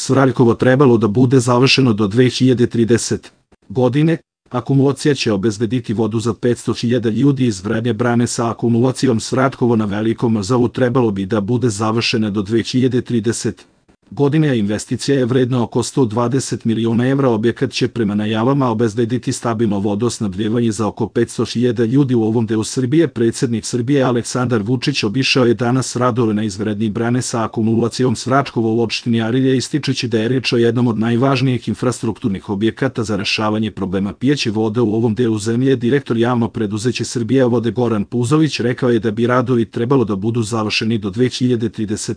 Svraljkovo trebalo da bude završeno do 2030. godine. Akumulacija će obezbediti vodu za 500.000 ljudi. Izgradnja brane sa akumulacijom Svratkovo na Velikom Rzavu trebalo bi da bude završena do 2030. godine, a investicija je vredna oko 120 miliona evra. Objekat će prema najavama obezbediti stabilno vodosnabdevanje za oko 500.000 ljudi u ovom delu Srbije. Predsjednik Srbije Aleksandar Vučić obišao je danas radove na izgradnji brane sa akumulacijom Svratkovo u opštini Arilje, ističući da je reč o jednom od najvažnijih infrastrukturnih objekata za rešavanje problema pijeće vode u ovom delu zemlje. Direktor javno preduzeće Srbijavode Goran Puzović rekao je da bi radovi trebalo da budu završeni do 2030.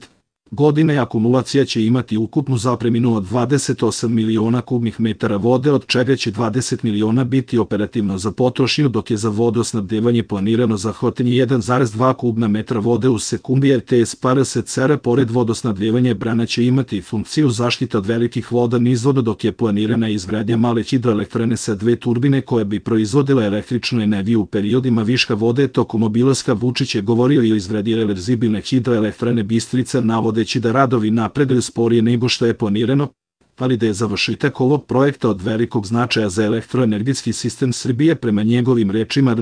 godine. Akumulacija će imati ukupnu zapreminu od 28 miliona kubnih metara vode, od čega će 20 miliona biti operativno za potrošnju, dok je za vodosnabdevanje planirano zahvatanje 1,2 kubna metra vode u sekundi. RTS PRSCR pored vodosnabdevanja brana će imati funkciju zaštite od velikih voda nizvoda, dok je planirana izgradnja male hidroelektrane sa 2 turbine koje bi proizvodile električnu energiju u periodima viška vode. Tokom obilaska Vučić je govorio i o izgradnji reverzibilne hidroelektrane Bistrica, navodeći da radovi napreduju sporije nego što je planirano, ali da je završetak ovog projekta od velikog značaja za elektroenergetski sistem Srbije. Prema njegovim rečima,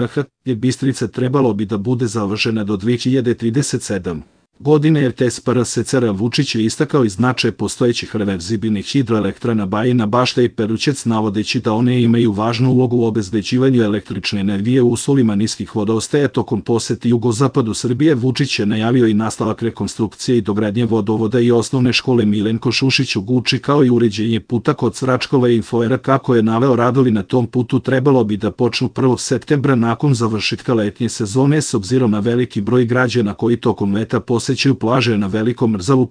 Bistrica trebalo bi da bude završena do 2037. godine. RTS PRSCR Vučić je istakao i značaj postojećih reverzibilnih hidroelektrana Bajina Bašta i Perućec, navodeći da one imaju važnu ulogu u obezbeđivanju električne energije u uslovima niskih vodostaja. Tokom posete jugozapadu Srbije Vučić je najavio i nastavak rekonstrukcije i dogradnje vodovoda i osnovne škole Milenko Šušić u Guči, kao i uređenje puta kod Svračkova. Info. Kako je naveo, radovi na tom putu trebalo bi da počnu 1. septembra nakon završetka letnje sezone, s obzirom na veliki broj građana koji tokom leta posećuju plaže na Velikom Rzavu.